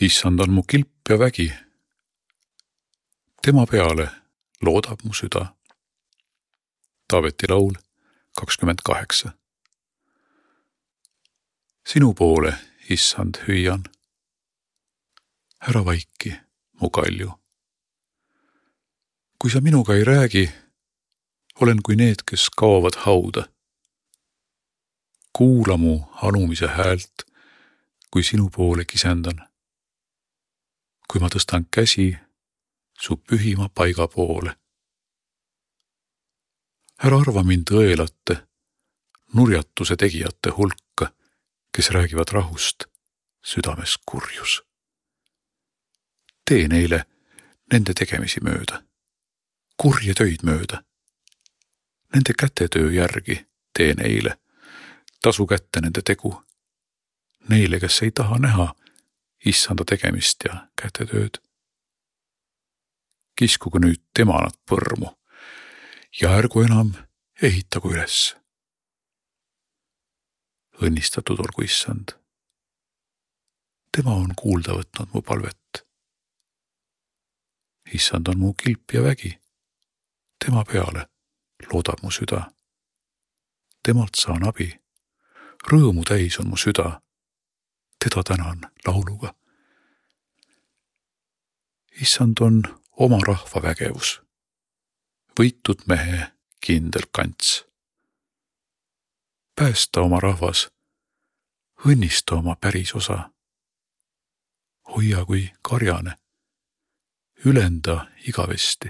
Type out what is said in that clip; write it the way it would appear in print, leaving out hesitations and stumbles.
Issand on mu kilp ja vägi. Tema peale loodab mu süda. Taaveti laul 28. Sinu poole, issand, hüüan. Ära vaiki, mu kalju. Kui sa minuga ei räägi, olen kui need, kes kaovad hauda. Kuula mu anumise häält, kui sinu poole kisendan. Kui ma tõstan käsi su pühima paiga poole. Ära arva mind õelate, nurjatuse tegijate hulka, kes räägivad rahust, südames kurjus. Tee neile nende tegemisi mööda, kurje töid mööda. Nende kätetöö järgi tee neile, tasu kätte nende tegu. Neile, kes ei taha näha issanda tegemist ja kätetööd. Kiskugu nüüd temanad põrmu ja ärgu enam ehitagu üles. Õnnistatud olgu issand. Tema on kuulda võtnud mu palvet. Issand on mu kilp ja vägi. Tema peale loodab mu süda. Temalt saan abi. Rõõmu täis on mu süda. Teda tänan lauluga. Issand on oma rahva vägevus. Võitud mehe kindel kants. Päästa oma rahvas. Õnnista oma päris osa. Hoia kui karjane. Ülenda igavesti.